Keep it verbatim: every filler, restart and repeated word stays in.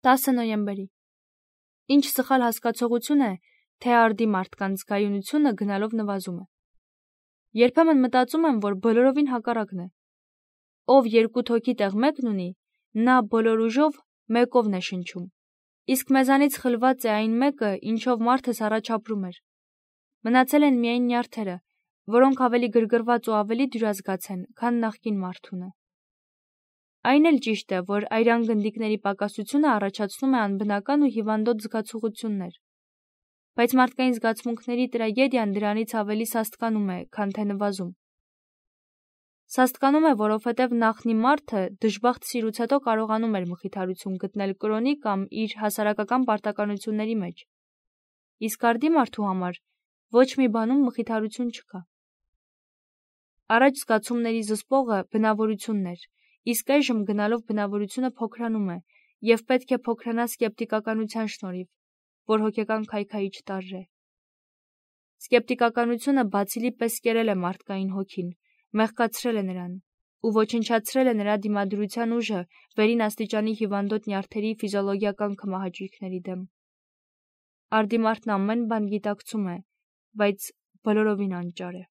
տասը նոյեմբերի։ Ինչ սխալ հասկացողություն է, թե արդի մարդկանց կայունությունը գնալով նվազում է։ Երբեմն մտածում եմ, որ բոլորովին հակառակն է։ Ով երկու թոքի տեղ մեկն ունի, նա բոլոր ուժով մեկովն է շնչում, իսկ մեզանից խլված է այն մեկը, ինչով մարդս առաջ ապրում էր։ Մնացել են միայն նյարդերը, որոնք ավելի գրգռված ու ավելի դյուրազգաց են, քան նախկին մարդունը։ Այն էլ ճիշտ է, որ այրան գնդիկների պակասությունը առաջացնում է անբնական ու հիվանդոտ զգացողություններ, բայց մարդկային զգացմունքների տրագեդիան դրանից ավելի սաստկանում է, քան թե նվազում։ Սաստկանում է, որովհետև նախնի մարդը դժբախտ սիրուց հետո կարողանում էր մխիթարություն գտնել կրոնի կամ իր հասարակական պարտականությունների մեջ, իսկ արդի մարդու համար ոչ մի բանում մխիթարություն չկա։ Առաջ զգացումների զսպողը բնավորությունն էր, իսկ այժմ գնալով բնավորությունը փոքրանում է և պետք է փոքրանա սկեպտիկականության շնորհիվ, որ հոգեկան քայքայիչ տարր է։ Սկեպտիկականությունը բացիլի պես կերել է մարդկային հոգին, մեղկացրել է նրան ու ոչնչացրել է նրա դիմադրության ուժը վերին աստիճանի հիվանդոտ նյարդերի ֆիզիոլոգիական քմահաճույքների դեմ։ Արդի մարդն ամեն բան գիտակցում է, բայց բոլորովին անճար է։